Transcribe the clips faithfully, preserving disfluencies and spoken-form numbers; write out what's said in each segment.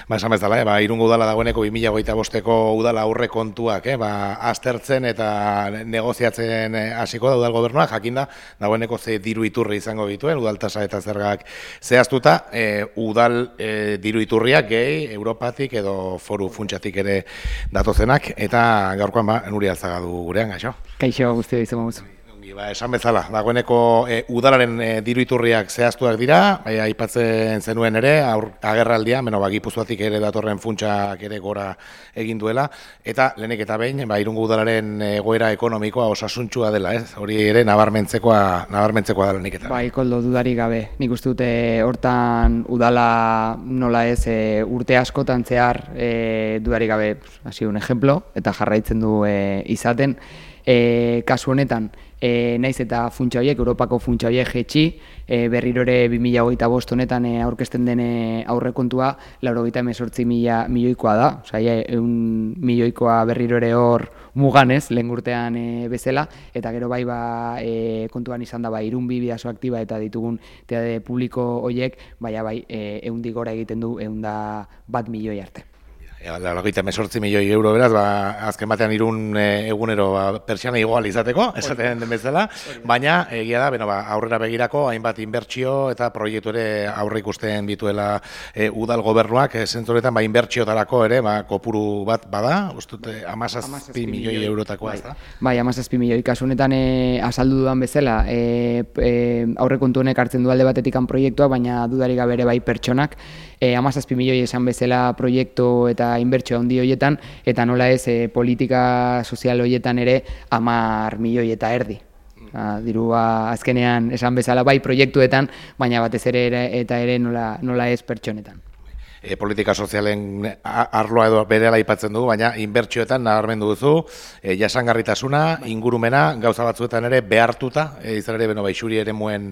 Ba, esan bezala, eh, ba, Irungo udala dagoeneko bi mila hogeita bosteko udala aurre kontuak, eh, ba, aztertzen eta negoziatzen eh, hasiko da udal gobernuak, jakinda, dagoeneko ze diru iturri izango dituen, udaltasa eta zergak zehaztuta, eh, udal eh, diru iturriak gehi, Europatik edo foru funtsatik ere datozenak, eta gaurkoan ba, Nuri Alzaga du gurean, gaixo. Kaixo, guzti izan mauz. Ba, esan bezala, dagoeneko e, udalaren e, diru iturriak zehaztuak dira, e, aipatzen zenuen ere, aur, agerraldia, beno, ba, Gipuzkoatik ere datorren funtsak ere gora egin duela, eta lehenik eta behin, ba, Irungo udalaren egoera ekonomikoa osasuntsua dela, ez? Hori ere nabarmentzekoa, nabarmentzekoa da lehenik eta. Bai, koldo dudarik gabe. Nik uste dute hortan udala nola ez e, urte askotan zehar e, dudarik gabe, hasi un ejemplo, eta jarraitzen du e, izaten, e, kasu honetan, E, naiz eta funtsa horiek, Europako funtsa horiek jetxi, e, berriro ere bi mila hogeita bost honetan e, aurkezten den aurrekontua laurogeita hemezortzi mila milioikoa da, osea, ehun milioikoa berriro ere hor muganez, lehen urtean e, bezala, eta gero bai ba, e, kontuan izan da ba, irun bi bidazo aktiba eta ditugun teade publiko horiek, baina bai, e, ehundik gora egiten du ehun da bat milioi arte. Laurogeita hemezortzi milioi euro beraz, ba, azken batean irun e, egunero ba, pertsiana igual izateko, esaten den bezala, baina egia da, beno, ba, aurrera begirako hainbat inbertsio eta proiektu ere aurre ikusten dituela e, udal gobernuak, e, zentzuretan ba, inbertsiotarako ere, ba, kopuru bat bada, ustute hamazazpi milioi eurotakoa, ez da? Bai, hamazazpi milioi, kasu honetan e, azaldu dudan bezala, e, e, aurrekontu honek hartzen du alde batetikan proiektua, baina dudarik gabe ere bai pertsonak, e, hamazazpi milioi esan bezala proiektu eta inbertsio handi horietan, eta nola ez e, politika sozial horietan ere hamar milioi eta erdi. A, dirua azkenean esan bezala bai proiektuetan, baina batez ere, ere eta ere nola, nola ez pertsonetan. E, politika sozialen arloa edo berehala aipatzen dugu, baina inbertsioetan nabarmendu duzu, e, jasangarritasuna, ingurumena, gauza batzuetan ere behartuta, e, izan ere, beno, ba, isuri ere muen,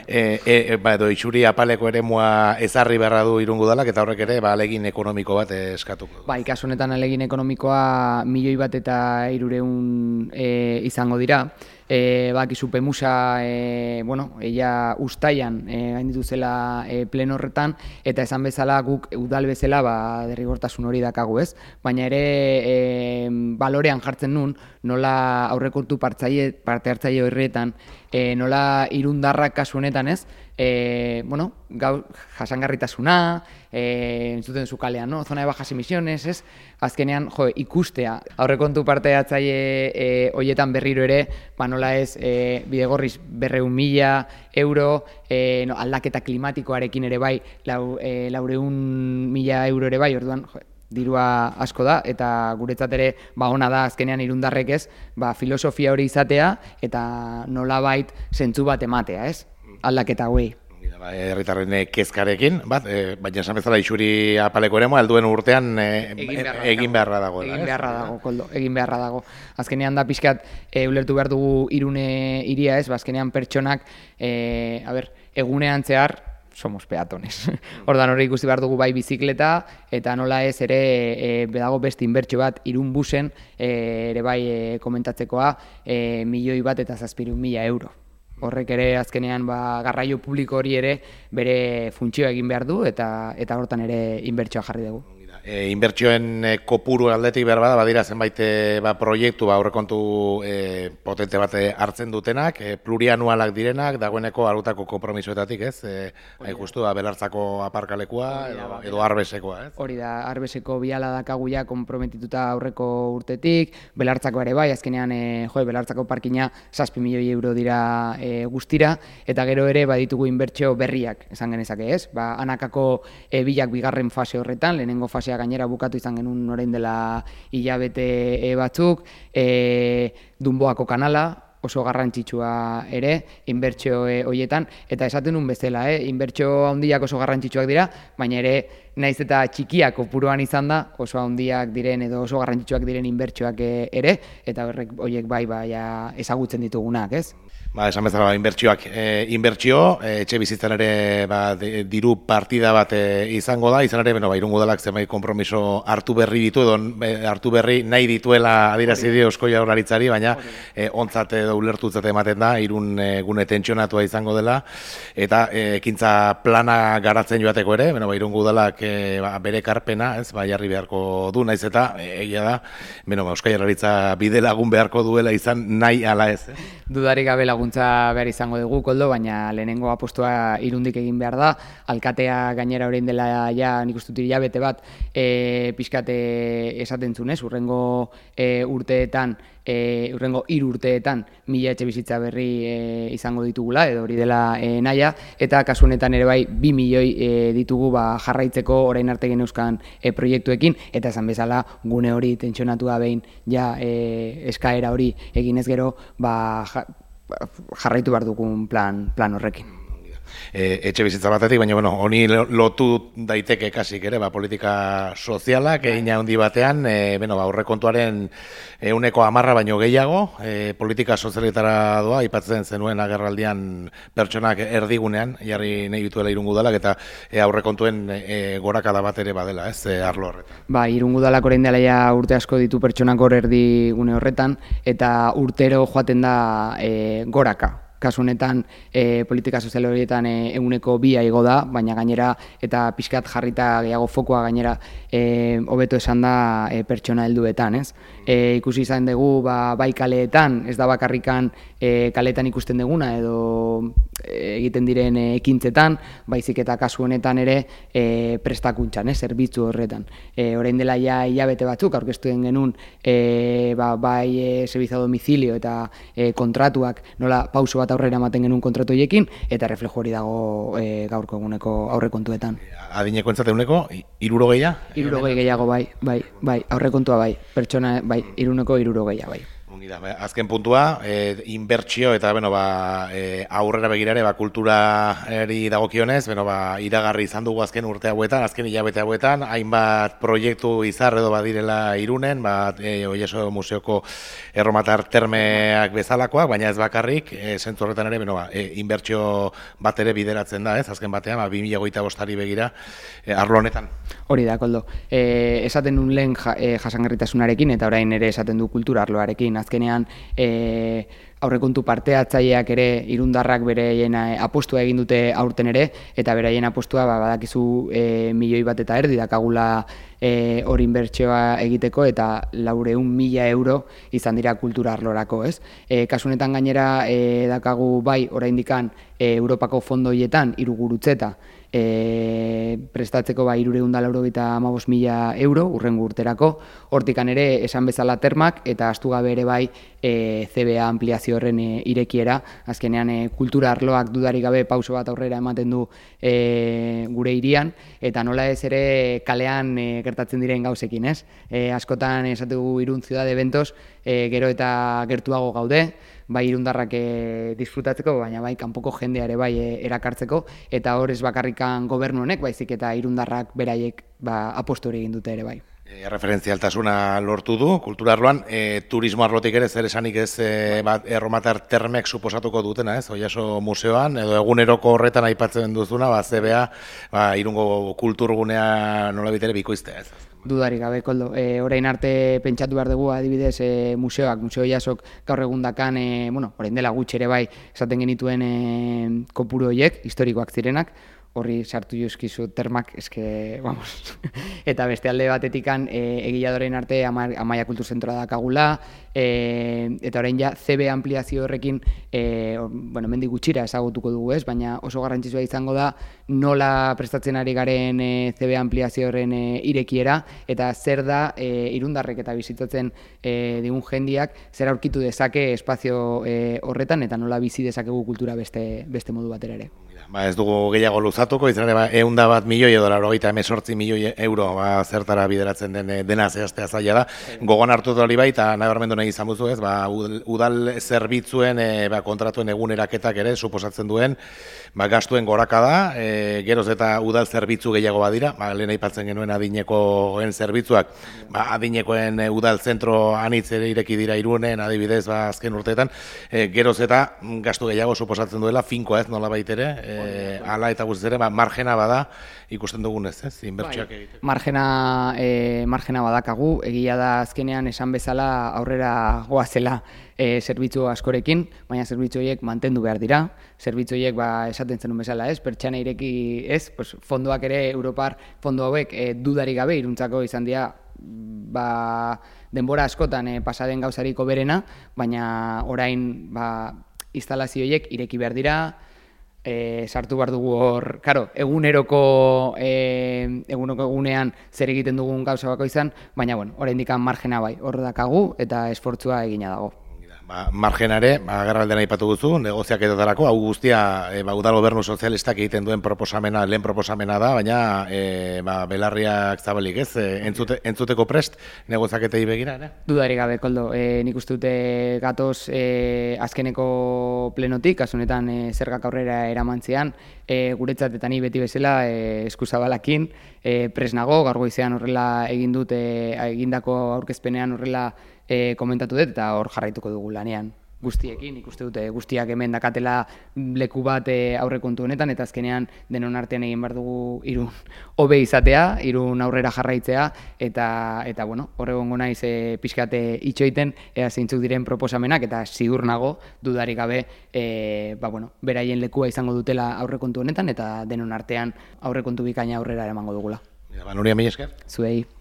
e, e, ba, edo isuri apaleko ere mua ezarri beharra du Irungo udalak, eta horrek ere, ba, alegin ekonomiko bat eskatuko. Bai, kasu honetan alegin ekonomikoa milioi bat eta hirureun e, izango dira. E, bakizu Pemusa, e, bueno, ella ustaian e, gainditu zela e, pleno horretan, eta esan bezala guk udal bezala ba, derrigortasun hori dakagu, ez? Baina ere e, balorean jartzen nun, nola aurrekontu partzaile, parte hartzaile horretan, e, nola irundarrak kasu honetan, ez? E, bueno, gau, jasangarritasuna, e, entzuten zu kalean, no? Zona de bajas emisiones, ez? Azkenean, jo, ikustea, aurrekontu parte hartzaile e, hoietan berriro ere, ba, nola ez, e, bidegorriz berreun mila euro, e, no, aldaketa klimatikoarekin ere bai, lau, e, laureun mila euro ere bai, orduan, jo, dirua asko da, eta guretzat ere ba ona da azkenean irundarrek ez, ba filosofia hori izatea eta nolabait zentzu bat ematea, ez? Aldaketa hauei. Herritarren kezkarekin, bat, e, baina esan bezala isuri apaleko eremua alduen urtean e, egin beharra, egin beharra dago. Egin beharra dago, koldo, egin beharra dago. Azkenean da pixkat e, ulertu behar dugu Irune hiria, ez? Ba, azkenean pertsonak, e, a ber, egunean zehar somos peatones. Ordan hori ikusi behar dugu bai bizikleta, eta nola ez ere e, bedago beste inbertsio bat Irun busen e, ere bai e, komentatzekoa e, milioi bat eta zazpirun mila euro. Horrek ere azkenean ba, garraio publiko hori ere bere funtzioa egin behar du eta eta hortan ere inbertsioa jarri dugu. E, inbertsioen e, kopuru aldetik behar bada, badira zenbait e, ba, proiektu ba, aurrekontu e, potente bat hartzen dutenak, e, plurianualak direnak, dagoeneko arutako konpromisoetatik, ez? E, hain justu, ba, Belartzako aparkalekua edo, edo Arbesekoa, ez? Hori da, Arbeseko biala dakagu ja konprometituta aurreko urtetik, Belartzako ere bai, azkenean e, jo, Belartzako parkina zazpi milioi euro dira e, guztira, eta gero ere baditugu inbertsio berriak, esan genezake, ez? Ba, Anakako e, bilak bigarren fase horretan, lehenengo fasea gainera bukatu izan genuen orain dela hilabete e, batzuk, e, Dunboako kanala, oso garrantzitsua ere, inbertsio e, horietan, eta esaten nun bezala, eh? Inbertsio handiak oso garrantzitsuak dira, baina ere, naiz eta txikiak kopuruan izan da, oso handiak diren edo oso garrantzitsuak diren inbertsioak ere, eta horrek horiek bai, bai, ezagutzen ditugunak, ez? Ba, esan bezala, ba, inbertsioak, e, inbertsio, e, etxe bizitzan ere ba, de, diru partida bat e, izango da, izan ere, bueno, ba, Irungo Udalak zenbait konpromiso hartu berri ditu, edo e, hartu berri nahi dituela adierazi dio Eusko Jaurlaritzari, baina e, ontzat edo ulertutzat ematen da, Irun e, gune tentsionatua izango dela, eta e, ekintza plana garatzen joateko ere, bueno, ba, Irungo Udalak e, ba, bere karpena, ez, ba, jarri beharko du, naiz eta, e, egia da, bueno, ba, Eusko Jaurlaritza bide lagun beharko duela izan nahi ala ez, eh? Dudarik gabe laguntza behar izango dugu, Koldo, baina lehenengo apostua Irundik egin behar da. Alkatea gainera orain dela ja, nik uste dut hilabete bat, e, pixkate esaten zunez, urrengo e, urteetan, e, urrengo hiru urteetan mila etxe bizitza berri e, izango ditugula, edo hori dela e, naia, eta kasu honetan ere bai, bi milioi e, ditugu ba, jarraitzeko orain arte geneuzkan e, proiektuekin, eta esan bezala gune hori tentsionatua behin ja e, eskaera hori eginez gero, ba, jarraitu behar dugun plan, plan horrekin. E, etxe bizitza batetik, baina bueno, honi lotu daiteke kasik ere, ba, politika sozialak, egin handi batean, e, bueno, ba, aurrekontuaren ehuneko hamarra baino gehiago, e, politika sozialetara doa, aipatzen zenuen agerraldian pertsonak erdigunean, jarri nahi dituela Irungo Udalak, eta e, aurrekontuen e, gorakada bat ere badela, ez, e, arlo horretan. Ba, Irungo Udalak orain dela ja urte asko ditu pertsonak hor erdigune horretan, eta urtero joaten da e, goraka. Kasu honetan e, politika sozial horietan e, eguneko bia igo da, baina gainera eta pixkat jarrita gehiago fokoa gainera e, hobeto esan da e, pertsona helduetan, ez? E, ikusi izan dugu ba, bai kaleetan, ez da bakarrikan e, kaleetan ikusten duguna edo e, egiten diren e, ekintzetan, baizik eta kasu honetan ere e, prestakuntzan, ez? Zerbitzu horretan. E, orain dela ja hilabete batzuk aurkeztu den genuen e, ba, bai e, servizio a domicilio eta e, kontratuak nola pauso bat aurrera ematen genuen kontratu horiekin, eta reflejo hori dago e, gaurko eguneko aurrekontuetan. Adineko entzate eguneko, hirurogeia? Hirurogei gehiago bai, bai, bai, aurrekontua bai, pertsona, bai, hiruneko hirurogeia bai. Azken puntua, e, inbertsio eta bueno, ba, e, aurrera begirare ba, kulturari dagokionez, bueno, ba, iragarri izan dugu azken urte hauetan, azken hilabete hauetan, hainbat proiektu izar edo badirela Irunen, ba, e, Oieso Museoko erromatar termeak bezalakoak, baina ez bakarrik, e, zentzu horretan ere, bueno, ba, e, inbertsio bat ere bideratzen da, ez, azken batean, ba, bi mila hogeita bostari begira, e, arlo honetan. Hori da, Koldo. E, esaten nun lehen ja, e, jasangarritasunarekin, eta orain ere esaten du kultura arloarekin, azkenean e, aurrekontu parte hartzaileak ere irundarrak beraien apostua egin dute aurten ere, eta beraien apostua ba, badakizu e, milioi bat eta erdi dakagula e, hori inbertsioa egiteko, eta laureun mila euro izan dira kultura arlorako, ez? E, kasu honetan gainera e, dakagu bai oraindikan e, Europako fondo horietan hiru gurutzeta E, prestatzeko ba, hirureun eta laurogeita hamabost mila euro urrengo urterako, hortikan ere esan bezala termak eta astu gabe ere bai e, C B A ampliazio horren e, irekiera, azkenean e, kultura arloak dudarik gabe pauso bat aurrera ematen du e, gure hirian, eta nola ez ere kalean e, gertatzen diren gauzekin, ez? E, askotan esategu Irun Ciudad de Eventos e, gero eta gertuago gaude, bai irundarrak e, disfrutatzeko, baina bai kanpoko jendea ere bai e, erakartzeko, eta hor ez bakarrikan gobernu honek, baizik eta irundarrak beraiek ba, apostu hori egin dute ere bai. E, referentzialtasuna lortu du, kultura arloan, e, turismo arlotik ere zer esanik ez e, bat, erromatar termek suposatuko dutena, ez? Oiaso museoan, edo eguneroko horretan aipatzen duzuna, ba, Z B A, ba, Irungo kulturgunea nola bitere bikoiztea, ez? Dudarik gabe, Koldo. E, orain arte pentsatu behar dugu adibidez e, museoak, museo jasok gaur egundakan, e, bueno, orain dela gutxi ere bai, esaten genituen e, kopuru horiek, historikoak zirenak, horri sartu jozkizu termak, eske, vamos, eta beste alde batetikan e, egia dorein arte ama, Amaia Kulturzentroa dakagula, e, eta orain ja C B ampliazio horrekin, e, bueno, mendik gutxira ezagutuko dugu ez, baina oso garrantzitsua izango da nola prestatzen ari garen e, C B ampliazio horren e, irekiera, eta zer da e, irundarrek eta bizitatzen e, digun jendiak, zer aurkitu dezake espazio e, horretan, eta nola bizi dezakegu kultura beste, beste modu batera ere. Ba, ez dugu gehiago luzatuko, izan ere ba, eunda bat milioi edo laurogeita hemezortzi milioi euro ba, zertara bideratzen den dena zehaztea zaila da. Gogon hartu hori bai, eta nabarmendu nahi izan buzu ez, ba, udal zerbitzuen e, ba, kontratuen eguneraketak ere suposatzen duen ba, gastuen goraka da, e, geroz eta udal zerbitzu gehiago badira, ba, lehen aipatzen genuen adinekoen zerbitzuak, ba, adinekoen e, udal zentro anitz ere ireki dira Irunen, adibidez, ba, azken urteetan, e, geroz eta gastu gehiago suposatzen duela, finkoa ez nola baitere, e, ala eta guztiz ere, ba, margena bada, ikusten dugunez, ez, inbertsioak egiteko. Margena, e, margena badakagu, egia da azkenean esan bezala aurrera goazela e, zerbitzu askorekin, baina zerbitzu horiek mantendu behar dira, zerbitzu horiek ba, esaten zenun bezala, ez, pertsana ireki, ez, pues, fondoak ere, Europar fondo hauek e, dudarik gabe iruntzako izan dira, ba, denbora askotan e, pasaden gauzariko berena, baina orain ba, instalazio horiek ireki behar dira, E, sartu behar dugu hor, karo, eguneroko, e, eguneko egunean zer egiten dugun gauza bako izan, baina, bueno, oraindik margena bai, hor dakagu eta esfortzua egina dago. Ba, margenare, ba, agarraldean aipatu duzu, negoziak edotarako, hau guztia e, ba, udal gobernu sozialistak egiten duen proposamena, lehen proposamena da, baina e, ba, belarriak zabalik ez, e, entzute, entzuteko prest negoziaketei begira, ere? Dudarik gabe, Koldo, e, nik uste dute gatoz e, azkeneko plenotik, asunetan e, zergak aurrera eramantzean, e, guretzat eta ni beti bezala e, eskuzabalakin, e, pres nago, gaur goizean horrela egin dut, e, egindako aurkezpenean horrela E, komentatu dut eta hor jarraituko dugu lanean guztiekin, ikuste dute guztiak hemen dakatela leku bat e, aurrekontu honetan eta azkenean denon artean egin behar dugu Irun hobe izatea, Irun aurrera jarraitzea eta, eta bueno, horregongo naiz e, pixkate itxoiten ea zeintzuk diren proposamenak eta ziur nago dudarik gabe e, ba, bueno, beraien lekua izango dutela aurrekontu honetan eta denon artean aurrekontu bikaina aurrera eramango dugula. Ja, ba, Nuria, mila esker. Zuei.